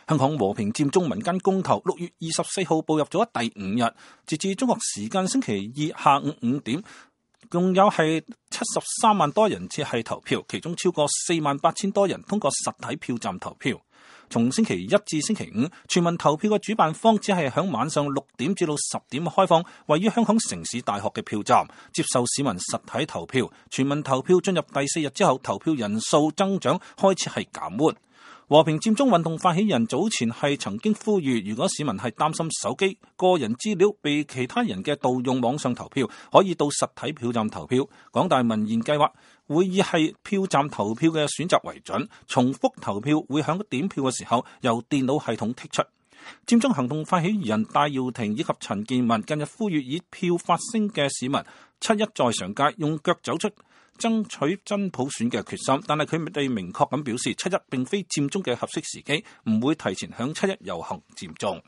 香港和平佔中民間公投6月24號步入咗第5日，截至中國時間星期二下午5點，共有係73萬多人次係投票，其中超過48000多人通過實體票站投票。從星期一至星期五，全民投票嘅主辦方只係響晚上6點至到10點開放位於香港城市大學嘅票站，接受市民實體投票。全民投票進入第4日之後，投票人數增長開始係減緩。和平佔中運動發起人早前係曾經呼籲，如果市民係擔心手機個人資料被其他人嘅盜用網上投票，可以到實體票站投票。港大民研計劃會以係票站投票嘅選擇為準，重複投票會響點票嘅時候由電腦系統剔出。佔中行動發起人戴耀廷以及陳健民近日呼籲以票發聲嘅市民七一在上街，用腳走出爭取真普選嘅決心，但係佢哋明確咁表示，七一並非佔中嘅合適時機，唔會提前響七一遊行佔中。